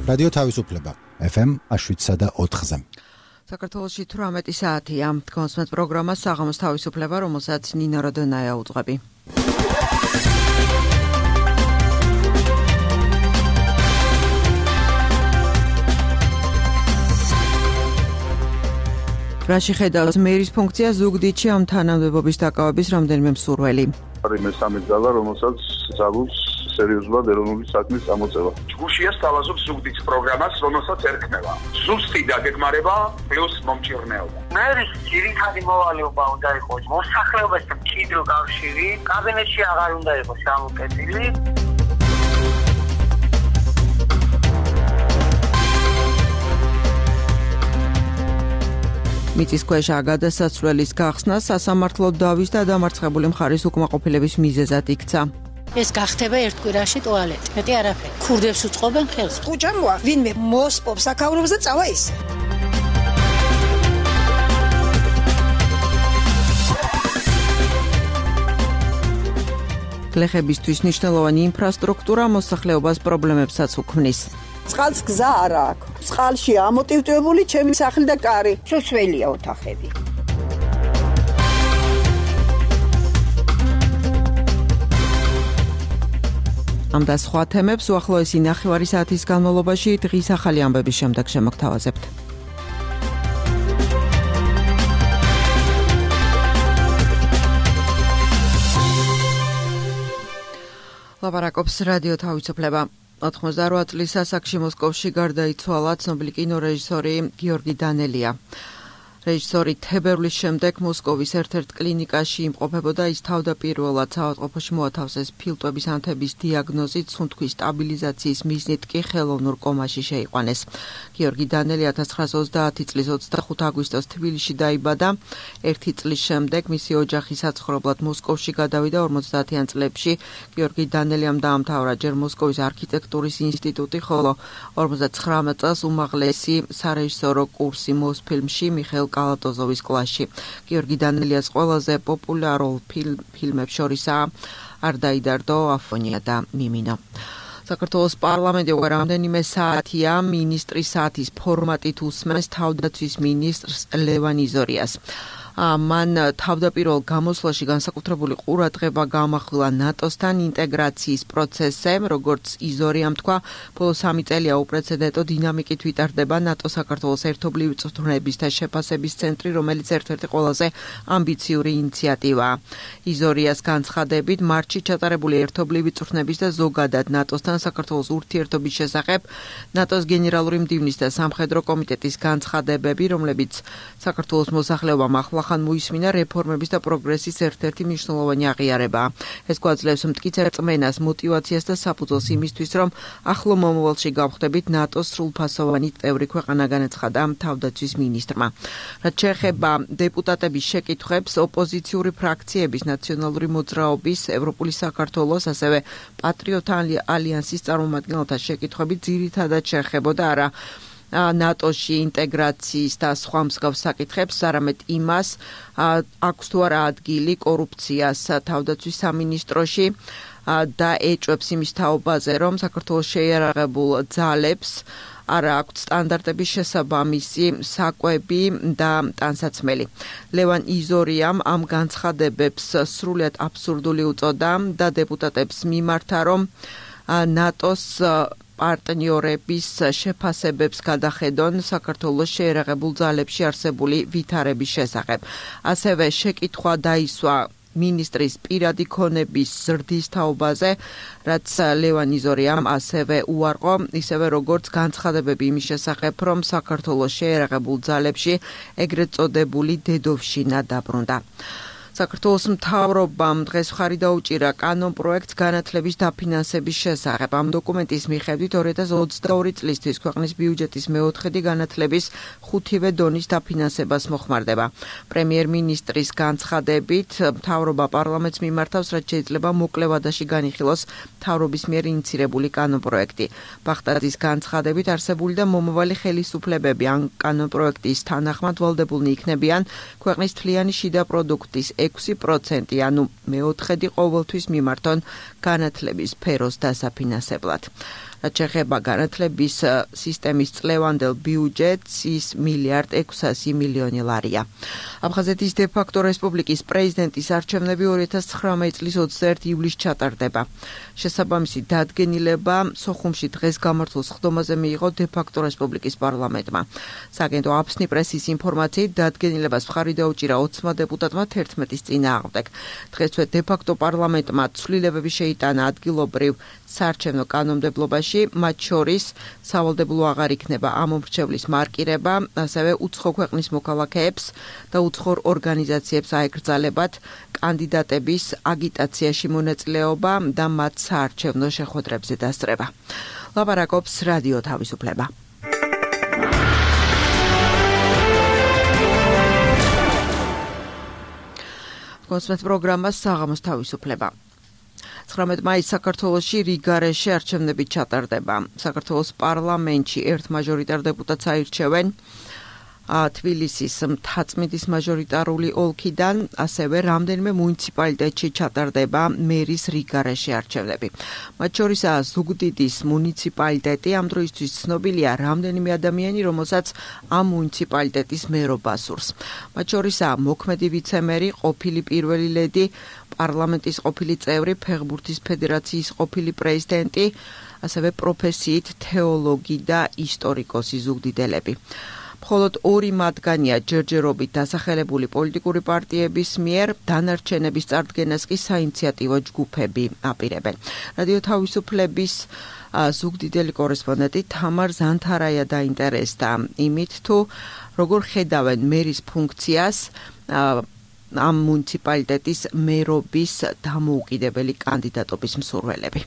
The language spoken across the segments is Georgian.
რადიო თავისუფლება FM 7.4-ზე. საქართველოში 18 საათია. კონსმეთ პროგრამა საღამოს თავისუფლება, რომელსაც ნინო როდონაია უძღვები. რაში ხედავს მერის ფუნქცია ზუგდიდში ამ თანამდებობის დაკავების რამდენიმე მსურველი. მესამე ძალა, რომელსაც ძალუს სერიოზულად ეროვნული საქმის წამოწევა. ჯგუფია სთავაზობს ზუგდიდის პროგრამას, რომელსაც ერქმევა. ზუსტი დაგეგმარება პლუს მომჭირნეობა. მერის ძირითადი მოვალეობა უნდა იყოს მოსახლეობასთან მჭიდრო კავშირი, კაბინეტში აღარ უნდა იყოს სამოკეთილი. მიწისქვეშა გადასასვლელის გახსნა სასამართლო დავის და დამარცხებული მხარის უკმაყოფილების მიზეზად იქცა. ეს გახდება ერთ კვირაში ტუალეტი. მეტი არაფერი. ქურდებს უწყობენ ხელს. ხუჭამ ვინმე მოსპობს აქაურობს და წავა ისე. გლეხებისთვის მნიშვნელოვანი ინფრასტრუქტურა მოსახლეობას პრობლემებსაც უქმნის. წყალს გზა არ აქვს. წყალში ამოტივტივებული ჩემი სახლი და კარი. სუსველია ოთახები. ამ და სხვა თემებს უახლოესი ნახევარი საათის განმავლობაში დღის ახალი ამბების შემდეგ შემოგთავაზებთ. ლაპარაკობს რადიო თავისუფლება. 88 წლის ასაკში მოსკოვში გარდაიცვალა ცნობილი კინორეჟისორი გიორგი დანელია. რეჟისორი თებერვლის შემდეგ მოსკოვის ერთ-ერთ კლინიკაში იმყოფებოდა. ის თავდაპირველად საავადმყოფოში მოათავსეს ფილტვების ანთების დიაგნოზით, სუნთქვის სტაბილიზაციის მიზნით კი ხელოვნურ კომაში შეიყვანეს. გიორგი დანელი 1930 წლის 25 აგვისტოს თბილისში დაიბადა. ერთი წლის შემდეგ მისი ოჯახი საცხოვრებლად მოსკოვში გადავიდა. 50-იან წლებში გიორგი დანელიამ დაამთავრა ჯერ მოსკოვის არქიტექტურის ინსტიტუტი, ხოლო 59 წელს უმაღლესი სარეჟისორო კურსი მოსფილმში მიხეილ კალატოზოვის კლასში. გიორგი დანელიას ყველაზე პოპულარულ ფილმებს შორისაა არ დაიდარდო, აფონია და მიმინო. საქართველოს პარლამენტი უკვე რამდენიმე საათია მინისტრის საათის ფორმატით უსმენს თავდაცვის მინისტრს ლევან იზორიას. მან თავდაპირველ გამოსვლაში განსაკუთრებული ყურადღება გაამახვილა ნატოსთან ინტეგრაციის პროცესზე, როგორც იზორიამ თქვა, ბოლო 3 წელია უპრეცედენტო დინამიკით ვითარდება ნატო-საქართველოს ერთობლივი წვრთნების და შეფასების ცენტრი, რომელიც ერთ-ერთი ყველაზე ამბიციური ინიციატივაა. იზორიას განცხადებით, მარტში ჩატარებული ერთობლივი წვრთნების და ზოგადად ნატოსთან საქართველოს ურთიერთობის შესახებ ნატოს გენერალური მდივნის და სამხედრო კომიტეტის განცხადებები, რომლებიც საქართველოს მოსახლეობამ ახლახან მოისმინა რეფორმების და პროგრესის ერთ-ერთი მნიშვნელოვანი აღიარებაა. ეს გვაძლევს მტკიცე რწმენას, მოტივაციას და საფუძველს იმისთვის, რომ ახლო მომავალში გავხდებით ნატოს სრულფასოვანი წევრი ქვეყანა, განაცხადა თავდაცვის მინისტრმა. რაც შეეხება დეპუტატების შეკითხვებს, ოპოზიციური ფრაქციების, ნაციონალური მოძრაობის, ევროპული საქართველოს, ასევე პატრიოტთა ალიანსის წარმომადგენელთა შეკითხვები ძირითადად შეეხებოდა არა ნატოში ინტეგრაციის და სხვა მსგავს საკითხებს, არამედ იმას, აქვს თუ არა ადგილი კორუფციას თავდაცვის სამინისტროში და ეჭვებს იმის თაობაზე, რომ საქართველოს შეიარაღებულ ძალებს არა აქვთ სტანდარტების შესაბამისი საკვები და ტანსაცმელი. ლევან იზორიამ ამ განცხადებებს სრულიად აბსურდული უწოდა და დეპუტატებს მიმართა, რომ ნატოს პარტნიორების შეფასებებს გადახედონ საქართველოს შეიარაღებულ ძალებში არსებული ვითარების შესახებ. ასევე შეკითხვა დაისვა მინისტრის პირადი ქონების ზრდის თაობაზე, რაც ლევან იზორიამ ასევე უარყო, ისევე როგორც განცხადებები იმის შესახებ, რომ საქართველოს შეიარაღებულ ძალებში ეგრეთ წოდებული დედოვშინა დაბრუნდა. საქართველოს მთავრობამ დღეს მხარი დაუჭირა კანონ პროექტს განათლების დაფინანსების შესახებ. ამ დოკუმენტის მიხედვით 2022 წლისთვის ქვეყნის ბიუჯეტის მეოთხედი განათლების 5-ვე დონის დაფინანსებას მოხმარდება. პრემიერ-მინისტრის განცხადებით, მთავრობა პარლამენტს მიმართავს, რაც შეიძლება მოკლე ვადაში განიხილოს მთავრობის მიერ ინიცირებული კანონ პროექტი. ბახტაძის განცხადებით, არსებული და მომავალი ხელისუფლებები ამ კანონ პროექტის თანახმად ვალდებულნი იქნებიან ქვეყნის მთლიანი შიდა პროდუქტის 6%, ანუ მეოთხედი ყოველთვის მიმართონ განათლების სფეროს დასაფინანსებლად. რაც შეეხება განათლების სისტემის წლევანდელ ბიუჯეტს, ის 1,600 მილიონი ლარია. აფხაზეთის დე-ფაქტო რესპუბლიკის პრეზიდენტის არჩევნები 2019 წლის 21 ივლისს ჩატარდება. შესაბამისი დადგენილება სოხუმში დღეს გამართულ სხდომაზე მიიღო დე-ფაქტო რესპუბლიკის პარლამენტმა. სააგენტო აფსნი პრესის ინფორმაციით დადგენილებას მხარი დაუჭირა 20 დეპუტატმა 11-ის წინააღმდეგ. დღესვე დე-ფაქტო პარლამენტმა ცვლილებები შეიტანა ადგილობრივ საარჩევნო კანონმდებლობაში, მათ შორის სავალდებულო აღარ იქნება ამ მომრჩევლის მარკირება, ასევე უცხო ქვეყნის მოქალაქეებს და უცხო ორგანიზაციებს აეკრძალებათ კანდიდატების აგიტაციაში მონაწილეობა და მათ საარჩევნო შეხვედრებზე დასწრება. ლაპარაკობს რადიო თავისუფლება. კონსმეთ პროგრამა საღამოს თავისუფლება. 19 მაისს საქართველოში რიგარეში არჩევნები ჩატარდება. საქართველოს პარლამენტში ერთ მაჟორიტარ დეპუტატს აირჩევენ თბილისის მთაწმინდის მაჟორიტარული ოლქიდან, ასევე რამდენიმე მუნიციპალიტეტში ჩატარდება მერის რიგარეში არჩევნები. მათ შორისაა ზუგდიდის მუნიციპალიტეტი, ამ დროისთვის ცნობილია რამდენიმე ადამიანი, რომელსაც ამ მუნიციპალიტეტის მერობა სურს. მათ შორისაა მოქმედი ვიცემერი, ყოფილი პირველი ლედი, პარლამენტის ყოფილი წევრი, ფეხბურთის ფედერაციის ყოფილი პრეზიდენტი, ასევე პროფესიით თეოლოგი და ისტორიკოსი ზუგდიდელები. მხოლოდ 2 მათგანია ჯერჯერობით დასახელებული პოლიტიკური პარტიების მიერ, დანარჩენების წარდგენას კი საინიციატივო ჯგუფები აპირებენ. რადიო თავისუფლების ზუგდიდელი კორესპონდენტი თამარ ზანთარაია დაინტერესდა იმით, თუ როგორ ხედავენ მერის ფუნქციას ამ მუნიციპალიტეტის მერობის დამოუკიდებელი კანდიდატობის მსურველები.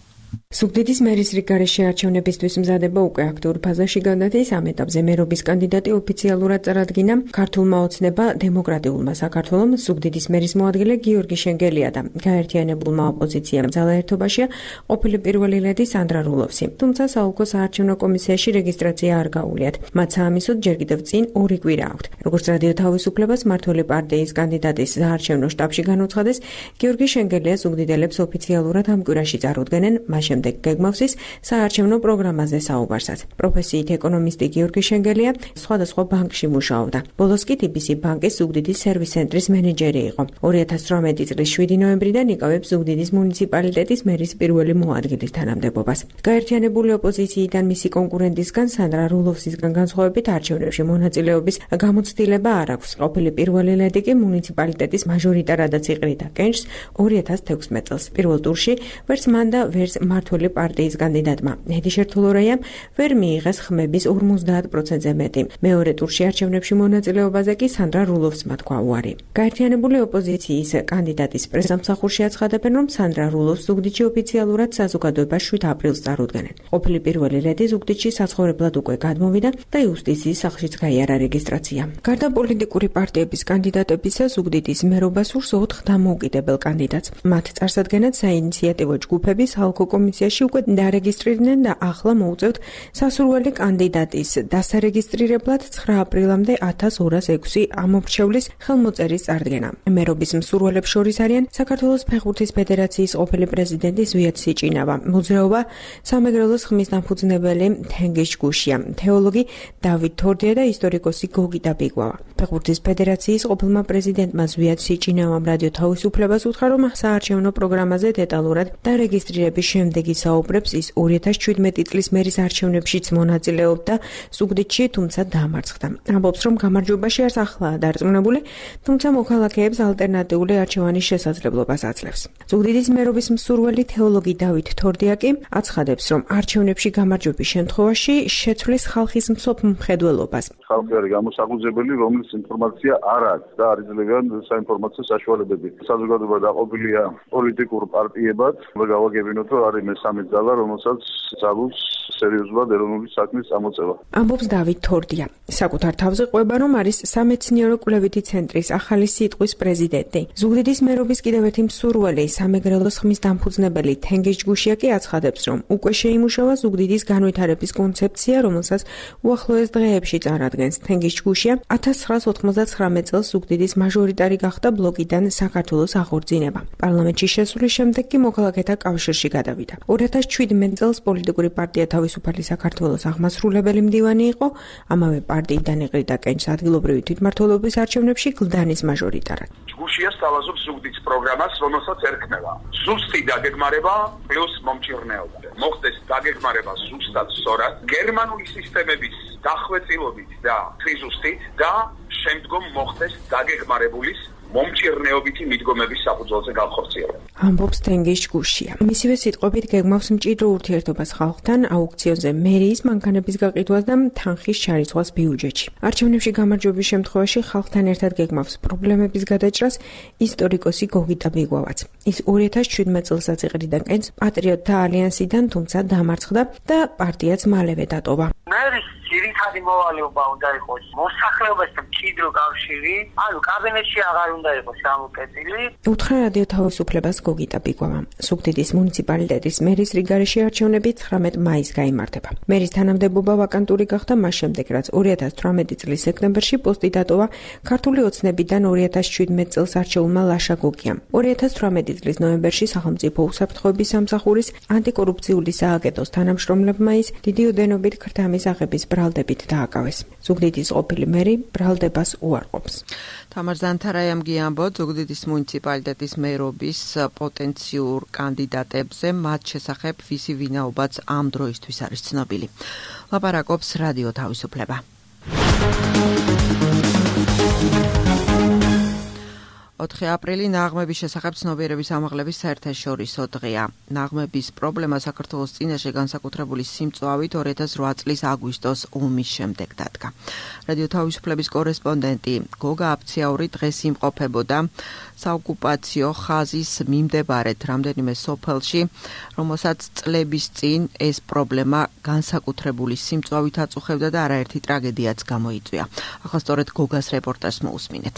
ზუგდიდის მერის რიგარეში არჩევნებისთვის მზადება უკვე აქტიურ ფაზაში გადადის. ამ ეტაპზე მერობის კანდიდატი ოფიციალურად წარადგინა ქართულმა ოცნება დემოკრატიულმა საქართველომ. ზუგდიდის მერის მოადგილე გიორგი შენგელია და გაერთიანებულმა ოპოზიციამ ძალაერთობაშია ყოფილი პირველი ლედი სანდრა რულოვსი. თუმცა საოლქო საარჩევნო კომისიაში რეგისტრაცია არ გაუვლიათ. მათ საამისოდ ჯერ კიდევ წინ 2 კვირა აქვთ. როგორც რადიო თავისუფლებას მმართველი პარტიის კანდიდატის საარჩევნო შტაბში განუცხადეს, გიორგი შენგელია ზუგდიდელებს ოფიციალურად ამ კვირაში წარუდგენენ, შემდეგ გეგმავსის საარჩევნო პროგრამაზე საუბარსაც. პროფესიით ეკონომისტი გიორგი შენგელია სხვადასხვა ბანკში მუშაობდა. ბოლოს კი TBC ბანკის ზუგდიდის სერვის ცენტრის მენეჯერი იყო. 2018 წლის 7 ნოემბრიდან იკავებს ზუგდიდის მუნიციპალიტეტის მერის პირველი მოადგილის თანამდებობას. გაერთიანებული ოპოზიციიდან მისი კონკურენტისგან სანდრა რულოვსისგან განსხვავებით არჩევნებში მონაწილეობის გამოცდილება არ აქვს. ყოფილი პირველი ლედი კი მუნიციპალიტეტის მაჟორიტარადაც იყრიდა კენჭს 2016 წელს. პირველ ტურში ვერც მან და ვერც მმართველი პარტიის კანდიდატმა ედი შერთულორაიამ ვერ მიიღეს ხმების 50%-ზე მეტი. მეორე ტურში არჩევნებში მონაწილეობაზე კი სანდრა რულოვსმა თქვა უარი. გაერთიანებული ოპოზიციის კანდიდატის პრესამსახურში აცხადებენ, რომ სანდრა რულოვს ზუგდიდში ოფიციალურად საზოგადოებას 7 აპრილს წარუდგენენ. ყოფილი პირველი ლედი ზუგდიდში საცხოვრებლად უკვე გადმოვიდა და იუსტიციის სახლშიც გაიარა რეგისტრაცია. გარდა პოლიტიკური პარტიების კანდიდატებისა, ზუგდიდის მერობას სურს 4 დამოუკიდებელ კანდიდატს. მათ წარსადგენად საინიციატივო ჯგუფები საოლქო კომისიაში უკვე დარეგისტრირდნენ და ახლა მოუწევთ სასურველი კანდიდატის დასარეგისტრირებლად 9 აპრილამდე 1206 ამომრჩევლის ხელმოწერის წარდგენა. მერობის მსურველებს შორის არიან საქართველოს ფეხბურთის ფედერაციის ყოფილი პრეზიდენტი ზვიად სიჭინავა, მოძრაობა სამეგრელოს ხმის დამფუძნებელი თენგიშ გუშია, თეოლოგი დავით თორდია და ისტორიკოსი გოგიტა ბიგვავა. ფეხბურთის ფედერაციის ყოფილმა პრეზიდენტმა ზვიად სიჭინავამ რადიო თავისუფლებას უთხრა, რომ საარჩევნო პროგრამაზე დეტალურად დარეგისტრირების შემდეგ ისაუბრებს, ის 2017 წლის მერის არჩევნებშიც მონაწილეობდა ზუგდიდში, თუმცა დაამარცხდა. ამბობს, რომ გამარჯვებაში არც ახლაა დარწმუნებული, თუმცა მოქალაქეებს ალტერნატიული არჩევანის შესაძლებლობას აძლევს. ზუგდიდის მერობის მსურველი თეოლოგი დავით თორდია კი აცხადებს, რომ არჩევნებში გამარჯვების შემთხვევაში შეცვლის ხალხის მსოფ მხედველობას. ხალხი არის გამოსახუზებელი, რომლის ინფორმაცია არ აქვს და არ იძლევიან საინფორმაციო საშუალებები. საზოგადოება დაყოფილია პოლიტიკურ პარტიებად. გავაგებინოთ, რომ არის მესამე ძალა, რომელსაც ძალუს სერიოზულად ეროვნული საქმის წამოწევა. ამბობს დავით თორდია. საკუთარ თავზე ყვება, რომ არის სამეცნიერო კვლევითი ცენტრის ახალი სიტყვის პრეზიდენტი. ზუგდიდის მერობის კიდევ ერთი მსურველი, სამეგრელოს ხმის დამფუძნებელი თენგიზ ჯგუშია კი აცხადებს, რომ უკვე შეიმუშავა ზუგდიდის განვითარების კონცეფცია, რომელსაც უახლოეს დღეებში წარადგენს. თენგიზ ჯგუშია 1999 წელს ზუგდიდის მაჟორიტარი გახდა ბლოკიდან საქართველოს აღორძინება. პარლამენტში შესulis შემდეგ კი მოქალაქეთა კავშირში გადავიდა. 2017 წელს პოლიტიკური პარტია თავისუფალი საქართველოს აღმასრულებელი მდივანი იყო, ამავე პარტიიდან იყრიდა კენჭს ადგილობრივი თვითმმართველობის არჩევნებში გლდანის მაჟორიტარად. ჯგუშია სთავაზობს ზუგდიდის პროგრამას, რომელსაც ერქმევა ზუსტი დაგეგმარება პლუს მომჭირნეობა. მოხდეს დაგეგმარება ზუსტად სწორად გერმანული სისტემების დახვეწილობით და თვიზუსტით და შემდგომ მოხდეს დაგეგმარებულის მომჭირნეობითი მიდგომების საფუძველზე განხორციელება. ამბობს თენგიზ ჯგუშია. მისივე სიტყვებით გეგმავს მჭიდრო ურთიერთობას ხალხთან, აუქციონზე მერიის მანქანების გაყიდვას და თანხის ჩარიცხვას ბიუჯეტში. არჩევნებში გამარჯვების შემთხვევაში ხალხთან ერთად გეგმავს პრობლემების გადაჭრას ისტორიკოსი გოგიტა ბიგვავაც. ის 2017 წელსაც იყრიდა კენჭს პატრიოტთა ალიანსიდან, თუმცა დამარცხდა და პარტიაც მალევე დატოვა. მერის ძირითადი მოვალეობა უნდა იყოს მოსახლეობასთან მჭიდრო კავშირი, ანუ კაბინეტში აღარ უნდა იყოს გამოკეტილი. უთხრა რადიო თავისუფლებას გოგიტა ბიგვავამ. ზუგდიდის მუნიციპალიტეტის მერის რიგარეში არჩევნები 19 მაისს გაიმართება. მერის თანამდებობა ვაკანტური გახდა მას შემდეგ, რაც 2018 წლის სექტემბერში პოსტი დატოვა ქართული ოცნებიდან 2017 წელს არჩეულმა ლაშა გოგიამ. 2018 წლის ნოემბერში სახელმწიფო უსაფრთხოების სამსახურის ანტიკორუფციული სააგენტოს თანამშრომლებმა ის დიდი ოდენობით ქრთამის აღების ბრალდებით დააკავეს. ზუგდიდის ყოფილი მერი ბრალდებას უარყოფს. თამარ ზანთარაიამ გიამბო ზუგდიდის მუნიციპალიტეტის მერობის პოტენციურ კანდიდატებზე, მათ შესახებ ვისი ვინაობაც ამ დროისთვის არის ცნობილი. ლაპარაკობს რადიო თავისუფლება. 4 აპრილი ნაღმების შესახებ ცნობიერების ამაღლების საერთაშორისო დღეა. ნაღმების პრობლემა საქართველოს წინაშე განსაკუთრებული სიმწვავით 2008 წლის აგვისტოს ომის შემდეგ დადგა. რადიო თავისუფლების კორესპონდენტი გოგა აფციაური დღეს იმყოფებოდა საოკუპაციო ხაზის მიმდებარედ რამდენიმე სოფელში, რომელსაც წლების წინ ეს პრობლემა განსაკუთრებული სიმწვავით აწუხებდა და არაერთი ტრაგედიაც გამოიწვია. ახლა სწორედ გოგას რეპორტაჟს მოусმინეთ.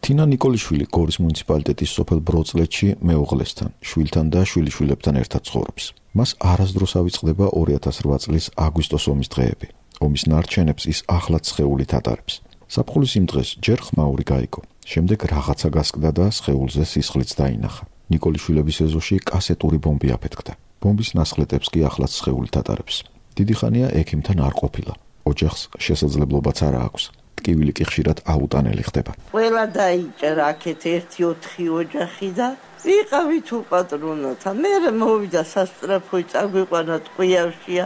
თინა ნიკოლიშვილი გორის მუნიციპალიტეტის სოფელ ბროწლეთში მეუღლესთან, შვილთან და შვილიშვილებთან ერთად ცხოვრობს. მას არასდროს ავიწყდება 2008 წლის აგვისტოს ომის დღეები. ომის ნარჩენებს ის ახლაც სხეულით ატარებს. საფხულის იმ დღეს ჯერ ხმაური გაიგო, შემდეგ რაღაცა გასკდა და სხეულზე სისხლიც დაინახა. ნიკოლიშვილების ეზოში კასეტური ბომბი აფეთქდა. ბომბის ნასხლეტებს კი ახლაც სხეულით ატარებს. დიდი ხანია ექიმთან არ ყოფილა. ოჯახს შესაძლებლობაც არ აქვს. ტკივილი კი ხშირად აუტანელი ხდება. ყველა დაიჭერა აქეთ 1-4 ოჯახი და ვიყავით უპატრონოთა. მე მოვიდა სასტრაფოი წაგვიყვანა ტყვიავშია.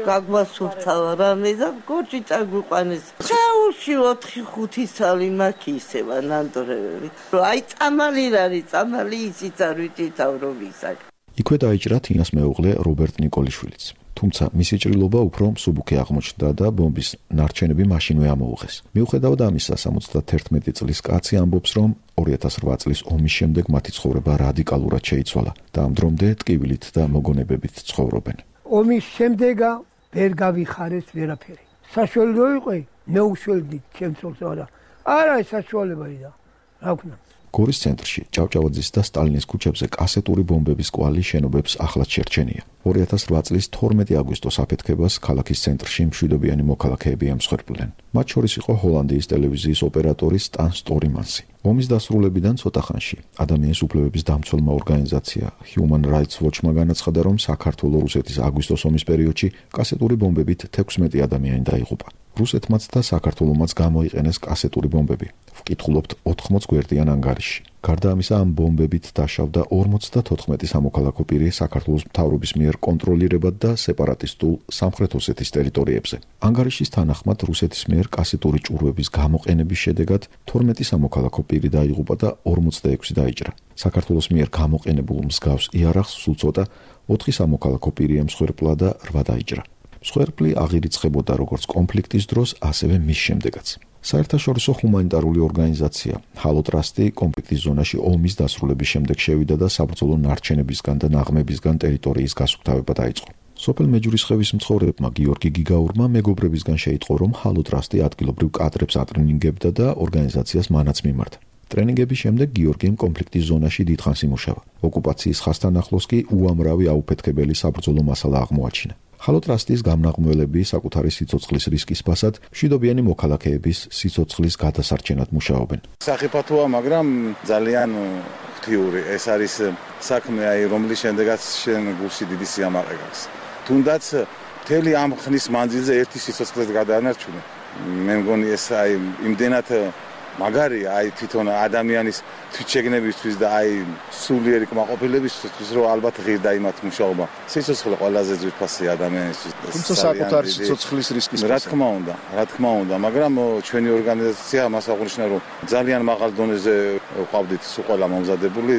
გაგვასუფთავა რამე და გორჯი წაგვიყვანეს. ხეულში 4-5 წალი მაქვს ისევა ნანდრევები. აი წამალი რარი, წამალი ისიც არ ვიცით რომ ისაკ. იქვე დაიჭრა თინას მეუღლე რობერტ ნიკოლიშვილიც. თუმცა მისი ჭრილობა უფრო მსუბუქი აღმოჩნდა და ბომბის ნარჩენები მაშინვე ამოუღეს. მიუხედავად ამისა, 71 წლის კაცი ამბობს, რომ 2008 წლის ომის შემდეგ მათი ცხოვრება რადიკალურად შეიცვალა და ამ დრომდე ტკივილით და მოგონებებით ცხოვრობენ. ომის შემდეგა ვერ გავიხარეს ვერაფერი. საშუალო იყო მე უშველდი ჩემს არა. არა საშუალება და რა ვქნა. გორის ცენტრში, ჭავჭავაძის და სტალინის ქუჩებზე კასეტური ბომბების კვალი შენობებს ახლაც შერჩენია. 2008 წლის 12 აგვისტოს აფეთქებას ქალაქის ცენტრში მშვიდობიანი მოქალაქეები ემსხვერპლდნენ. მათ შორის იყო ჰოლანდიის ტელევიზიის ოპერატორი სტან სტორიმანსი. ომის დასრულებიდან ცოტა ხანში ადამიანის უფლებების დამცველმა ორგანიზაცია Human Rights Watch-მა განაცხადა, რომ საქართველო-რუსეთის აგვისტოს ომის პერიოდში კასეტური ბომბებით 16 ადამიანი დაიღუპა. რუსეთმაც და საქართველომაც გამოიყენეს კასეტური ბომბები. ვკითხულობთ 80 გვერდიან ანგარიშში. გარდა ამისა, ამ ბომბებით დაშავდა 54 სამოქალაქო პირი საქართველოს მთავრობის მიერ კონტროლირებად და სეპარატისტულ სამხრეთ ოსეთის ტერიტორიებზე. ანგარიშის თანახმად რუსეთის მიერ კასეტური ჭურვების გამოყენების შედეგად 12 სამოქალაქო პირი დაიღუპა და 46 დაიჭრა. საქართველოს მიერ გამოყენებულ მსგავს იარაღს სულ ცოტა 4 სამოქალაქო პირი ემსხვერპლა და 8 დაიჭრა. მსხვერპლი აღირიცხებოდა როგორც კონფლიქტის დროს, ასევე მის შემდეგაც. საერთაშორისო ჰუმანიტარული ორგანიზაცია ჰალო ტრასტი კონფლიქტის ზონაში ომის დასრულების შემდეგ შევიდა და საბრძოლო ნარჩენებისგან და ნაღმებისგან ტერიტორიის გასუფთავება დაიწყო. სოფელ მეჯურისხევის მცხოვრებმა გიორგი გიგაურმა მეგობრებისგან შეიტყო, რომ ჰალოტრასტი ადგილობრივ კადრებს ატრენინგებდა და ორგანიზაციას მანაც მიმართა. ტრენინგების შემდეგ გიორგიმ კონფლიქტის ზონაში დიდხანს იმუშავა. ოკუპაციის ხასთან ახლოს კი უამრავი აუფეთქებელი საბრძოლო მასალა აღმოაჩინა. ჰალოტრასტის გამნაღმველები საკუთარი სიცოცხლის რისკის ფასად მშვიდობიანი მოქალაქეების სიცოცხლის გადასარჩენად მუშაობენ. სახიფათოა, მაგრამ ძალიან ღვთიური. ეს არის საქმე, რომლის შემდეგაც შენ გულში დიდი სიამაყე გაქვს. თუნდაც მთელი ამ ხნის მანძილზე ერთი სიცოცხლეს გადაანარჩუნე. მე მგონი ეს იმდენად მაგარია თვითონ ადამიანის თვითშეგნებისთვის და სულიერი კმაყოფილებისთვის, რომ ალბათ ღირდა იმათ მუშაობა. სიცოცხლე ყველაზე ძვირფასი ადამიანისთვის. თუმცა საკუთარი სიცოცხლის რისკის რა თქმა უნდა, მაგრამ ჩვენი ორგანიზაცია მას აღნიშნა, რომ ძალიან მაღალ დონეზე ვყავდით ყველა მომზადებული,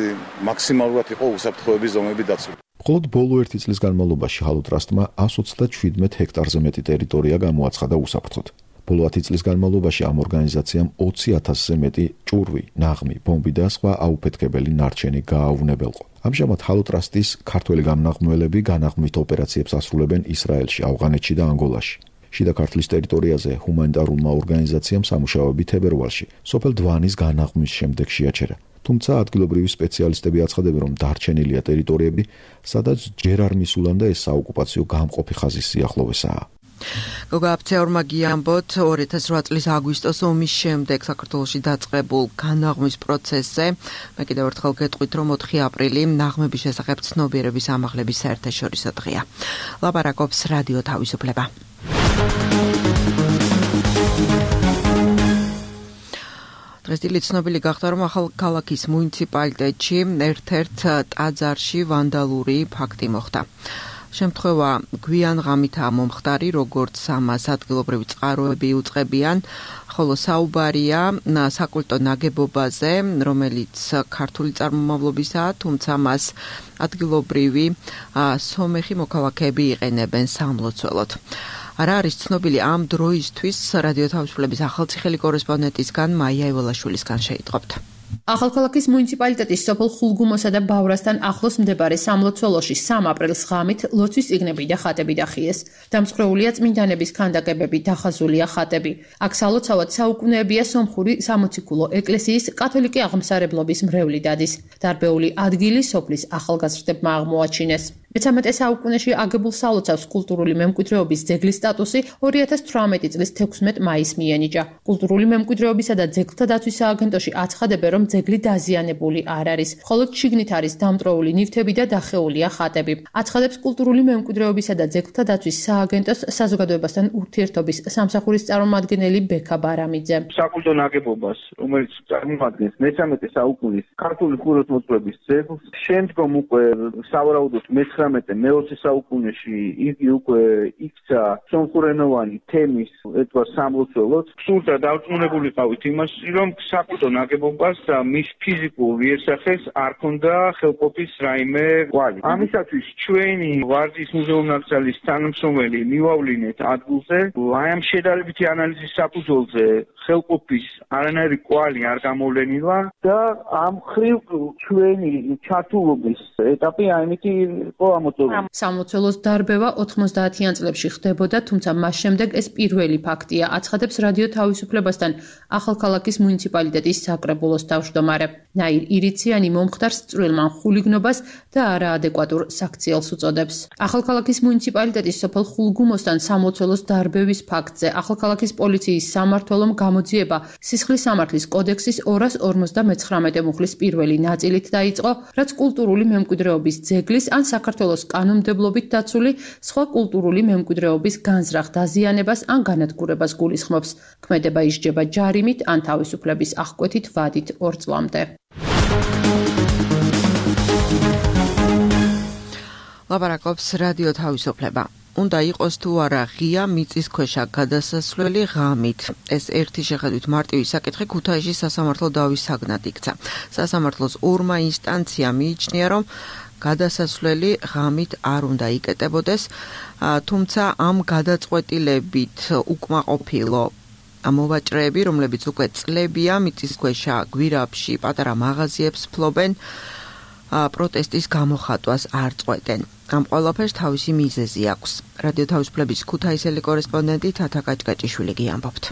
მაქსიმალურად იყო უსაფრთხოების ზომები დაცული. მხოლოდ ბოლო 1 წლის განმავლობაში ჰალოტრასტმა 127 ჰექტარზე მეტი ტერიტორია გამოაცხადა უსაფრთხოდ. ბოლო 10 წლის განმავლობაში ამ ორგანიზაციამ 20,000-ზე მეტი ჭურვი, ნაღმი, ბომბი და სხვა აუფეთქებელი ნარჩენი გააუვნებელყო. ამჟამად ჰალოტრასტის ქართველი გამნაღმველები განაღმვით ოპერაციებს ასრულებენ ისრაელში, ავღანეთში და ანგოლაში. შიდა ქართლის ტერიტორიაზე ჰუმანიტარულმა ორგანიზაციამ სამუშაოები თებერვალში სოფელ დვანის განაღმვის შემდეგ შეაჩერა. თუმცა ადგილობრივი სპეციალისტები აცხადებენ, რომ დარჩენილია ტერიტორიები, სადაც ჯერ არ მისულან და ეს საოკუპაციო გამყოფი ხაზის სიახლოვესაა. გოგა აფცეორმა გიამბოთ 2008 წლის აგვისტოს ომის შემდეგ საქართველოში დაწყებულ განაღმვის პროცესზე. მე კიდევ ერთხელ გეტყვით, რომ 4 აპრილი ნაღმების შესახებ ცნობიერების ამაღლების საერთაშორისო დღეა. ლაპარაკობს რადიო თავისუფლება. დღესდღეობით ცნობილი გახდა, რომ ახალქალაქის მუნიციპალიტეტში ერთ-ერთ ტაძარში ვანდალური ფაქტი მოხდა. შემთხვევა გვიან ღამითაა მომხდარი, როგორც ამას ადგილობრივი წყაროები უწყებიან, ხოლო საუბარია საკულტო ნაგებობაზე, რომელიც ქართული წარმომავლობისაა, თუმცა მას ადგილობრივი სომეხი მოქალაქეები იყენებენ სამლოცველოდ. არა არის ცნობილი ამ დროისთვის რადიო თავისუფლების ახალციხელი კორესპონდენტისგან მაია ეველაშვილისგან შეიტყობთ. ახალქალაქის მუნიციპალიტეტის სოფელ ხულგუმოსა და ბავრასთან ახლოს მდებარე სამლოცველოში 3 აპრილს ღამით ლოცვის წიგნები და ხატები დახიეს. დამსხვრეულია წმინდანების ქანდაკებები, დახაზულია ხატები. აქ სალოცავად საუკუნეებია სომხური სამოციქულო ეკლესიის კათოლიკე აღმსარებლობის მრევლი დადის. დარბეული ადგილი სოფლის ახალგაზრდებმა აღმოაჩინეს. მე-13 საუკუნეში აგებულ სალოცავს კულტურული მემკვიდრეობის ძეგლის სტატუსი 2018 წლის 16 მაისს მიენიჭა. კულტურული მემკვიდრეობისა და ძეგლთა დაცვის სააგენტოში აცხადებენ, რომ ძეგლი დაზიანებული არ არის. მხოლოდ შიგნით არის დამტროული ნივთები და დახეულია ხატები. აცხადებს კულტურული მემკვიდრეობისა და ძეგლთა დაცვის სააგენტოს საზოგადოებასთან ურთიერთობის სამსახურის წარმომადგენელი ბექა ბარამიძე. საკულტო ნაგებობას, რომელიც წარმოადგენს მე-13 საუკუნის ქართული ხუროთმოძღვრების ძეგლს, შემდგომ უკვე სავარაუდოდ მე-20 საუკუნეში იგი უკვე იქცა სომხურენოვანი თემის ეთვარ სამლოცველოდ. სულთა დარწმუნებული ყავით იმაში, რომ საკულტო ნაგებობას და მის ფიზიკურ იერსახეს არ ქონდა ხელყოფის რაიმე კვალი. ამისათვის ჩვენი ვარძის მუზეუმ-ნაკრძალის თანამშრომელი მივავლინეთ ადგილზე, ამ შედარებითი ანალიზის საფუძველზე ხელყოფის არანაირი კვალი არ გამოვლენილა და ამ ხრივ ჩვენი ჩართულობის ეტაპი ამითი იყო ამოწურული. სამლოცველოს დარბევა 90-იან წლებში ხდებოდა, თუმცა მას შემდეგ ეს პირველი ფაქტია, აცხადებს რადიო თავისუფლებასთან ახალქალაქის მუნიციპალიტეტის საკრებულოს თავმჯდომარე. ნაირ ირიციანი მომხდარს წვრილმან ხულიგნობას და არაადეკვატურ საქციელს უწოდებს. ახალქალაქის მუნიციპალიტეტის სოფელ ხულგუმოსთან სამლოცველოს დარბევის ფაქტზე ახალქალაქის პოლიციის სამმართველომ გამოძიება სისხლის სამართლის კოდექსის 259 მუხლის პირველი ნაწილით დაიწყო, რაც კულტურული მემკვიდრეობის ძეგლის ან საქართველოს კანონმდებლობით დაცული სხვა კულტურული მემკვიდრეობის განზრახ დაზიანებას ან განადგურებას გულისხმობს. ქმედება ისჯება ჯარიმით ან თავისუფლების აღკვეთით ვადით 2 წლამდე. ლაპარაკობს რადიო თავისუფლება. უნდა იყოს თუ არა ღია მიწისქვეშა გადასასვლელი ღამით. ეს ერთი შეხედვით მარტივი საკითხი ქუთაისში სასამართლო დავის საგნად იქცა. სასამართლოს 2 ინსტანციამ მიიჩნია, რომ გადასასვლელი ღამით არ უნდა იკეტებოდეს, თუმცა ამ გადაწყვეტილებით უკმაყოფილო მოვაჭრეები, რომლებიც უკვე წლებია მიწისქვეშა გვირაბში პატარა მაღაზიებს ფლობენ, პროტესტის გამოხატვას არ წყვეტენ. ამ ყველაფერს თავისი მიზეზი აქვს. რადიო თავისუფლების ქუთაისელი კორესპონდენტი თათა კაჭკაჭიშვილი გიამბობთ.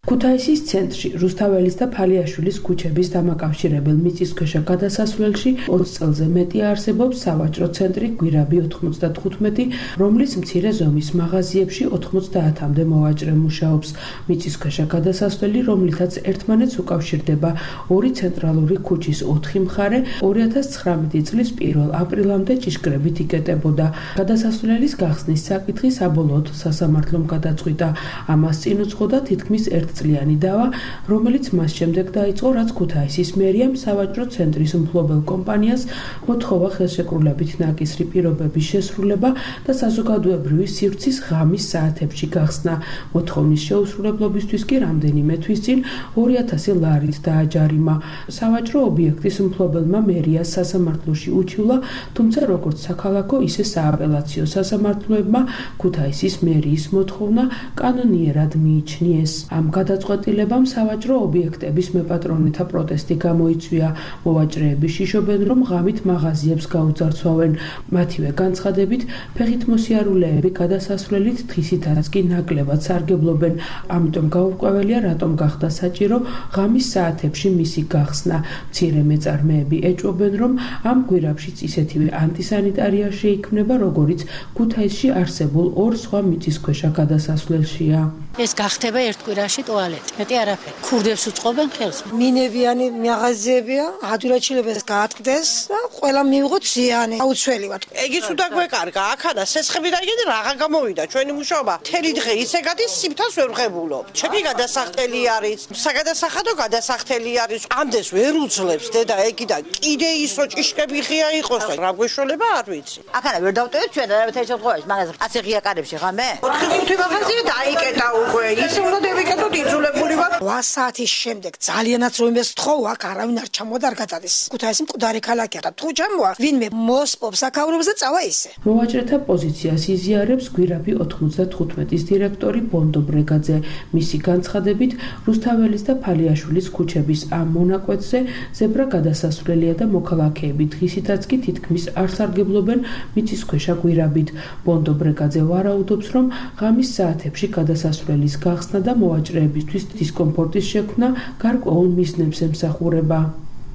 ქუთაისის ცენტრში რუსთაველის და ფალიაშვილის ქუჩების დამაკავშირებელ მიწისქვეშა გადასასვლელში 20 წელზე მეტი არსებობს სავაჭრო ცენტრი გვირაბი 95, რომლის მცირე ზომის მაღაზიებში 90-მდე მოვაჭრე მუშაობს. მიწისქვეშა გადასასვლელი, რომლითაც ერთმანეთს უკავშირდება ორი ცენტრალური ქუჩის 4 მხარე, 2019 წლის 1 აპრილამდე ჭიშკრებით იკეტებოდა. გადასასვლელის გახსნის საკითხი საბოლოოდ სასამართლომ გადაწყვიტა. ამას წინ უძღოდა თითქმის წლიანი დავა, რომელიც მას შემდეგ დაიწყო, რაც ქუთაისის მერიამ სავაჭრო ცენტრის მფლობელ კომპანიას მოთხოვა ხელშეკრულებით ნაკისრი პირობების შესრულება და საზოგადოებრივი სივრცის ღამის საათებში გახსნა. მოთხოვნის შეუსრულებლობისთვის კი რამდენიმე თვის წინ 2000 ლარით დააჯარიმა. სავაჭრო ობიექტის მფლობელმა მერიას სასამართლოში უჩივლა, თუმცა როგორც საქალაქო, ისე სააპელაციო სასამართლოებმა ქუთაისის მერიის მოთხოვნა კანონიერად მიიჩნიეს. ამ გადაწყვეტილებამ სავაჭრო ობიექტების მეპატრონეთა პროტესტი გამოიწვია. მოვაჭრეები შიშობენ, რომ ღამით მაღაზიებს გაუძარცვავენ. მათივე განცხადებით, ფეხით მოსიარულეები გადასასვლელით დღისითაც კი ნაკლებად სარგებლობენ. ამიტომ გაურკვეველია, რატომ გახდა საჭირო ღამის საათებში მისი გახსნა. მცირე მეწარმეები ეჭვობენ, რომ ამ გვირაბშიც ისეთივე ანტისანიტარია შეიქმნება, როგორიც ქუთაისში არსებულ ორ სხვა მიწისქვეშა გადასასვლელშია. ეს გახდება ერთ კვირაში ტუალეტი. მეტი არაფერი. ქურდებს უწყობენ ხელს. მინებიანი მაღაზიებია, ადვილად გაატყდეს და ყველა მიიღოთ ზიანი. აუცილებლად. ეგიც უნდა გვეკარგა, აქადა სესხები და იგი რაღა გამოვიდა ჩვენი მუშაობა. თელი დღე ისე გადის, სიმთავს ვერ ვღებულობ. ჩემი გადასახდელი არის, საგადასახადო გადასახდელი არის. ამდენს ვერ უძლებს დედა ეგი და კიდე ისო ჭიშკები ღია იყოს და რა გვეშოლება არ ვიცი. აქადა ვერ დავტოვეთ ჩვენ რა თეთრ შემთხვევაში, მაგას ასე ღია კარებში ღამე. 4-5 მაღაზია დაიკეტა უკვე. ისე უნდა დავიკეტოთ იძულებული ვარ. 8 საათის შემდეგ ძალიანაც რომ იმეს თხოვ, აქ არავინ არ ჩამოდა არ გადადის. ქუთაისი მკვდარი ქალაქია და თუ ჩამოვა, ვინმე მოსპობს აქაურობს და წავა ისე. მოვაჭრეთა პოზიციას იზიარებს გვირაბი 95-ის დირექტორი ბონდო ბრეგაძე. მისი განცხადებით, რუსთაველის და ფალიაშვილის ქუჩების ამ მონაკვეთზე ზებრა გადასასვლელია და მოქალაქეები დღისითაც კი თითქმის არ სარგებლობენ მიწისქვეშა გვირაბით. ბონდო ბრეგაძე ვარაუდობს, რომ ღამის საათებში გადასასვლელის გახსნა და მოვაჭრეებისთვის დისკომფორტის შექმნა გარკვეულ მიზნებს ემსახურება.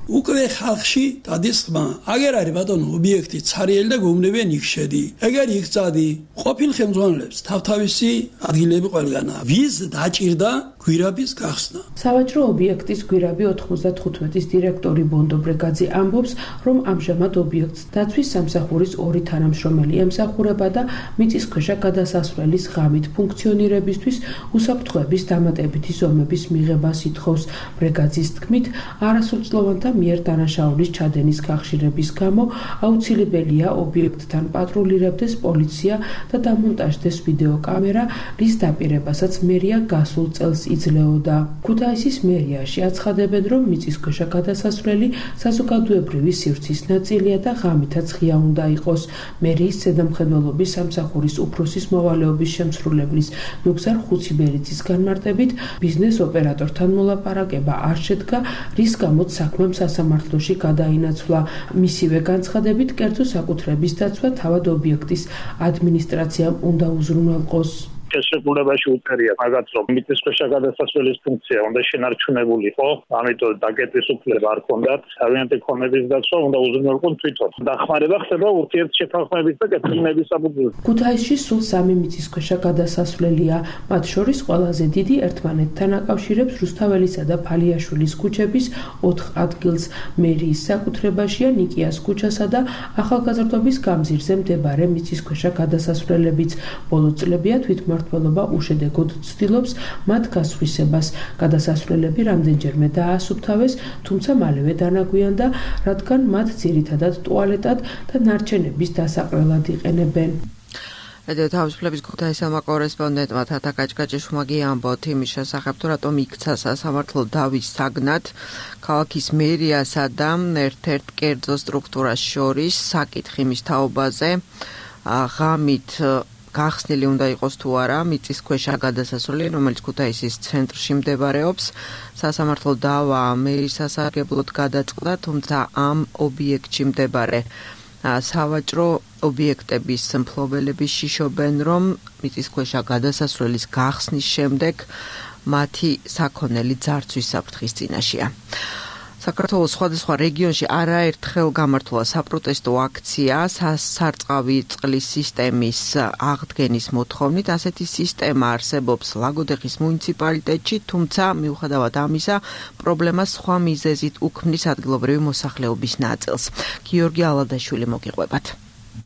უკვე ხალხში დადის ხმა. აგერ არის ბატონო ობიექტი ცარიელი და გეუბნებიან იქ შედი. ეგერ იქ წადი. ყოფილ ხელმძღვანელებს თავთავისი ადგილები ყველგანა. ვის დაჭირდა გვირაბის გახსნა. სავაჭრო ობიექტის გვირაბი 95-ის დირექტორი ბონდო ბრეგაძე ამბობს, რომ ამჟამად ობიექტს დაცვის სამსახურის ორი თანამშრომელი ემსახურება და მიწისქვეშა გადასასვლელის ღამით ფუნქციონირებისთვის უსაფრთხოების დამატებითი ზომების მიღებას ითხოვს. ბრეგაძის თქმით, არასრულწლოვანთა მიერ დანაშაულის ჩადენის გახშირების გამო აუცილებელია ობიექტთან პატრულირებდეს პოლიცია და დამონტაჟდეს ვიდეოკამერა, რის დაპირებასაც მერია გასულ წელს იძლეოდა. ქუთაისის მერიაში აცხადებენ, რომ მიწისქვეშა გადასასვლელი საზოგადოებრივი სივრცის ნაწილია და ღამითაც ღია უნდა იყოს. მერიის ზედამხედველობის სამსახურის უფროსის მოვალეობის შემსრულებლის ნუგზარ ხუციბერიძის განმარტებით, ბიზნეს ოპერატორთან მოლაპარაკება არ შედგა, რის გამოც საქმემ სასამართლოში გადაინაცვლა. მისივე განცხადებით, კერძო საკუთრების დაცვა თავად ობიექტის ადმინისტრაციამ უნდა უზრუნველყოს. შესრულებაში უწერია მაგაც რომ მიწისქვეშა გადასასვლელის ფუნქცია უნდა შენარჩუნებულიყო, ამიტომ დაკეტვის უფლება არ ჰქონდათ, თავიანთი ქონების დაცვა უნდა უზრუნველყონ თვითონ. დახმარება ხდება ურთიერთშეთანხმების და კეთილნების საფუძველზე. ქუთაისში სულ 3 მიწისქვეშა გადასასვლელია, მათ შორის ყველაზე დიდი ერთმანეთთან აკავშირებს რუსთაველისა და ფალიაშვილის ქუჩების 4 ადგილს. მერიის საკუთრებაშია ნიკიას ქუჩასა და ახალგაზრდობის გამზირზე მდებარე მიწისქვეშა გადასასვლელებიც. ბოლო წლებია თვითმმართველობა უშედეგოდ ცდილობს მათ გასხვისებას. გადასასვლელები რამდენჯერმე დაასუფთავეს, თუმცა მალევე დანაგვიანდა, რადგან მათ ძირითადად ტუალეტად და ნარჩენების დასაყრელად იყენებენ. რადიო თავისუფლების ქუთაისელმა კორესპონდენტმა თათა კაჭკაჭიშვილმა ამბოთ იმის შესახებ, თუ რატომ იქცა სასამართლო დავის საგნად ქალაქის მერიასა და ერთ-ერთ კერძო სტრუქტურას შორის საკითხი მის თაობაზე. ღამით გახსნილი უნდა იყოს თუ არა მიწისქვეშა გადასასვლელი, რომელიც ქუთაისის ცენტრში მდებარეობს. სასამართლო დავა მერის სასარგებლოდ გადაწყდა, თუმცა ამ ობიექტში მდებარე სავაჭრო ობიექტების მფლობელები შიშობენ, რომ მიწისქვეშა გადასასვლელის გახსნის შემდეგ მათი საქონელი ძარცვის საფრთხის წინაშეა. საქართველოს სხვადასხვა რეგიონში არაერთხელ გამართულა საპროტესტო აქცია სარწყავი წყლის სისტემის აღდგენის მოთხოვნით. ასეთი სისტემა არსებობს ლაგოდეხის მუნიციპალიტეტში, თუმცა მიუხედავად ამისა, პრობლემას სხვა მიზეზით უქმნის ადგილობრივი მოსახლეობის ნაწილს. გიორგი ალადაშვილი მოგიყვებათ.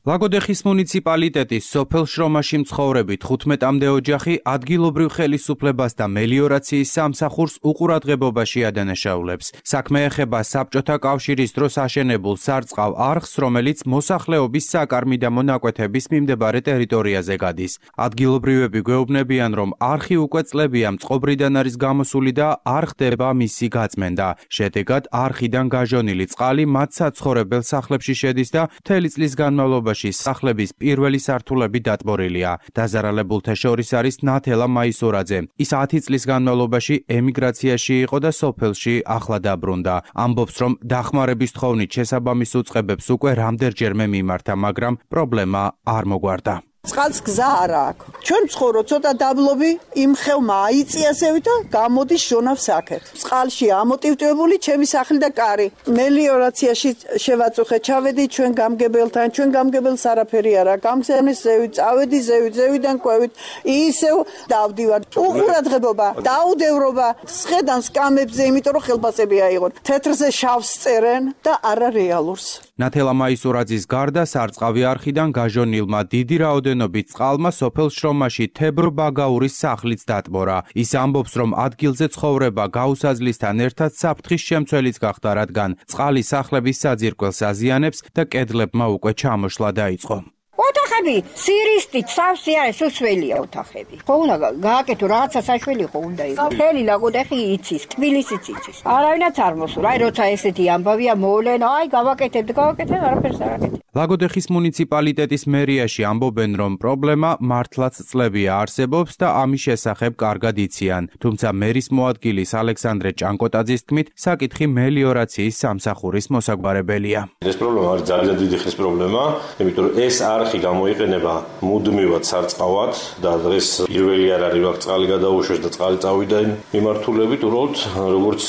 ლაგოდეხის მუნიციპალიტეტის სოფელ შრომაში მცხოვრები 15-მდე ოჯახი ადგილობრივ ხელისუფლებას და მელიორაციის სამსახურს უყურადღებობაში ადანაშაულებს. საქმე ეხება საბჭოთა კავშირის დროს აშენებულ სარწყავ არხს, რომელიც მოსახლეობის საკარმი და მონაკვეთების მიმდებარე ტერიტორიაზე გადის. ადგილობრივები გვეუბნებიან, რომ არხი უკვე წლებია მწყობრიდან არის გამოსული და არ ხდება მისი გაწმენდა. შედეგად არხიდან გაჟონილი წყალი მათ საცხოვრებელ სახლებში შედის და მთელი წლის განმავლობაში სახლების პირველი სართულები დატბორილია. დაზარალებულთა შორის არის ნათელა მაისურაძე. ის 10 წლის განმავლობაში ემიგრაციაში იყო და სოფელში ახლა დაბრუნდა. ამბობს, რომ დახმარების თხოვნით შესაბამის უწყებებს უკვე რამდენჯერმე მიმართა, მაგრამ პრობლემა არ მოგვარდა. წყალს გზა არ აქვს. ჩვენ ვცხოვრობ ცოტა დაბლობი, იმ ხევმა აიწია ზევი და გამოდის ჟონავს აქეთ. წყალში ამოტივტვებული ჩემი სახლი და კარი. მელიორაციაში შევაწუხე, ჩავედი ჩვენ გამგებელთან, ჩვენ გამგებელს არაფერი არა. გამგზავნეს ზევი, წავედი ზევიდან ყვევით, ისევ დავდივარ. უყურადღებობა, დაუდევრობა, სხედან სკამებზე, იმიტომ რომ ხელფასები აიღონ. თეთრზე შავს წერენ და არა რეალურს. ნათელა მაისურაძის გარდა სარწყავი არხიდან გაჟონილმა დიდი რაოდენობით წყალმა სოფელ შრომაში თებრ ბაგაურის სახლიც დატბორა. ის ამბობს, რომ ადგილზე ცხოვრება გაუსაზლისთან ერთად საფრთხის შემცველიც გახდა, რადგან წყალი სახლების საძირკველს აზიანებს და კედლებმა უკვე ჩამოშლა დაიწყო. ოთახები სირისტით სავსე არის, უსველია ოთახები. ხო უნდა გააკეთო რაღაცა საშველი ხო უნდა იყოს. მთელი ლაგოდეხი იცის, თბილისიც იცის. არავინაც არ მოსულა. აი როცა ესეთი ამბავია მოვლენ, აი გავაკეთებთ, არაფერს არ აკეთებ. ლაგოდეხის მუნიციპალიტეტის მერიაში ამბობენ, რომ პრობლემა მართლაც წლებია არსებობს და ამის შესახებ კარგად იციან. თუმცა მერის მოადგილის ალექსანდრე ჭანკოტაძის თქმით, საკითხი მელიორაციის სამსახურის მოსაგვარებელია. ეს პრობლემა არის ძალიან დიდი ხნის პრობლემა, იმიტომ რომ ეს არხი გამოიყენება მუდმივად სარწყავად და დღეს პირველი არ არის, აქ წყალი გადაუშვეს და წყალი წავიდა მიმართულებით, უბრალოდ როგორც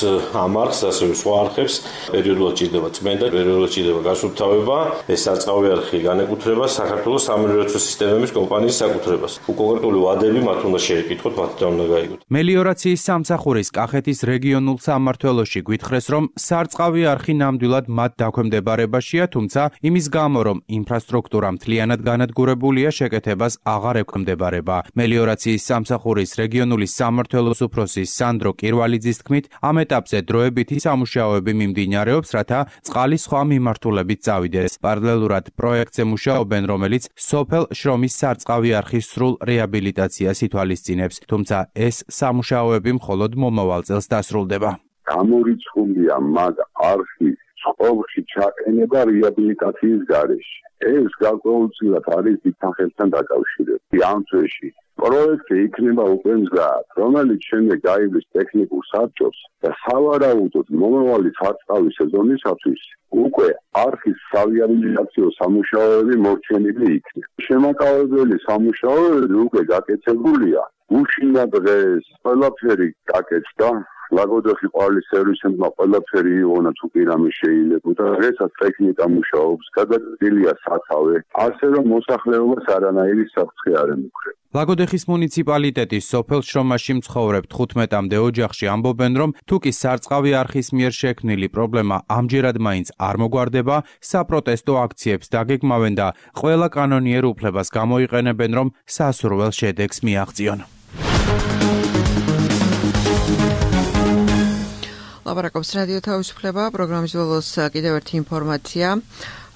ამ არხს, ასევე სხვა არხებს პერიოდულად ჭირდება წმენდა, პერიოდულად ჭირდება გასუფთავება. ეს სარწყავი არხი განეკუთვნება საქართველოს სამელიორაციო სისტემების კომპანიის საკუთრებას. კონკრეტული ვადები მათ უნდა შეეკითხოთ, მათთან უნდა გაიგოთ. მელიორაციის სამსახურის კახეთის რეგიონულ სამმართველოში გვითხრეს, რომ სარწყავი არხი ნამდვილად მათ დაქვემდებარებაშია, თუმცა იმის გამო, რომ ინფრასტრუქტურა მთლიანად განადგურებულია, შეკეთებას აღარ ექვემდებარება. მელიორაციის სამსახურის რეგიონული სამმართველოს უფროსი სანდრო კირვალიძის თქმით, ამ ეტაპზე დროებითი სამუშაოები მიმდინარეობს, რათა წყალი სხვა მიმართულებით წავიდეს. პარალელურად პროექტზე მუშაობენ, რომელიც სოფელ შრომის სარწყავი არხის სრულ რეაბილიტაციას ითვალისწინებს, თუმცა ეს სამუშაოები მხოლოდ მომავალ წელს დასრულდება. გამორიცხულია მაგ არხის წყობაში ჩაყენება რეაბილიტაციის გარეშე. ეს გარკვეულწილად არის დიდხანხელთან დაკავშირებული. ამ წესში პროექტი იქნება უკვე მზად, რომელიც შემდეგ გაივლის ტექნიკურ საბჭოს და სავარაუდოდ მომავალი სარწყავი სეზონისათვის უკვე არხის სარეაბილიტაციო სამუშაოები მორჩენილი იქნება. შემაკავებელი სამუშაოები უკვე გაკეთებულია. უშინდა დღეს ყველაფერი გაკეთდა. ლაგოდეხი ყვავილის სერვისებმა ყველაფერი იღონა თუ კი რამე შეიძლებოდა. დღესაც ტექნიკა მუშაობს, გადაწყდილია სათავე, ასე რომ მოსახლეობას არანაირი საფრთხე არ ემუქრება. ლაგოდეხის მუნიციპალიტეტის სოფელ შრომაში მცხოვრებ 15-მდე ოჯახში ამბობენ, რომ თუ კი სარწყავი არხის მიერ შექმნილი პრობლემა ამჯერად მაინც არ მოგვარდება, საპროტესტო აქციებს დაგეგმავენ და ყველა კანონიერ უფლებას გამოიყენებენ, რომ სასურველ შედეგს მიაღწიონ. ლაპარაკობს რადიო თავისუფლება, პროგრამის ბოლოს კიდევ ერთი ინფორმაცია.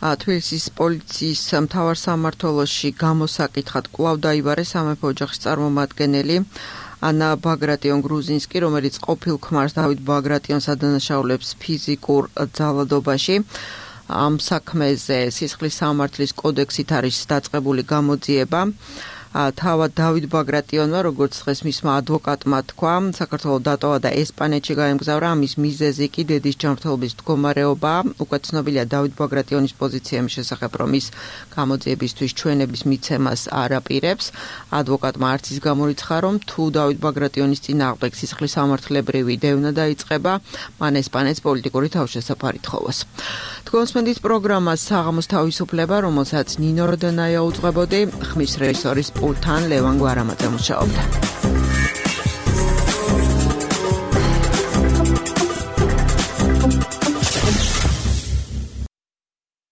თბილისის პოლიციის მთავარ სამმართველოში გამოსაკითხად კვლავ დაიბარეს სამეფო ოჯახის წარმომადგენელი ანა ბაგრატიონ გრუზინსკი, რომელიც ყოფილ ქმარს დავით ბაგრატიონს ადანაშაულებს ფიზიკურ ძალადობაში. ამ საქმეზე სისხლის სამართლის კოდექსით არის დაწყებული გამოძიება. თავად დავით ბაგრატიონმა, როგორც დღეს მისმა ადვოკატმა თქვა, საქართველოს დატოვა და ესპანეთში გაემგზავრა. ამის მიზეზი კი დედის ჯანმრთელობის მდგომარეობა. უკვე ცნობილია დავით ბაგრატიონის პოზიცია იმის შესახებ, რომ ის გამოძიებისთვის ჩვენების მიცემას არ აპირებს. ადვოკატმა არც ის გამორიცხა, რომ თუ დავით ბაგრატიონის წინააღმდეგ სისხლის სამართლებრივი დევნა დაიწყება, მან ესპანეთს პოლიტიკური თავშესაფარი თხოვოს. თქვენსმენდით პროგრამას საღამოს თავისუფლება, რომელსაც ნინო როდენაია უძღვებოდი, ხმის რეჟისორის პულტთან ლევან გვარამაძე მუშაობდა.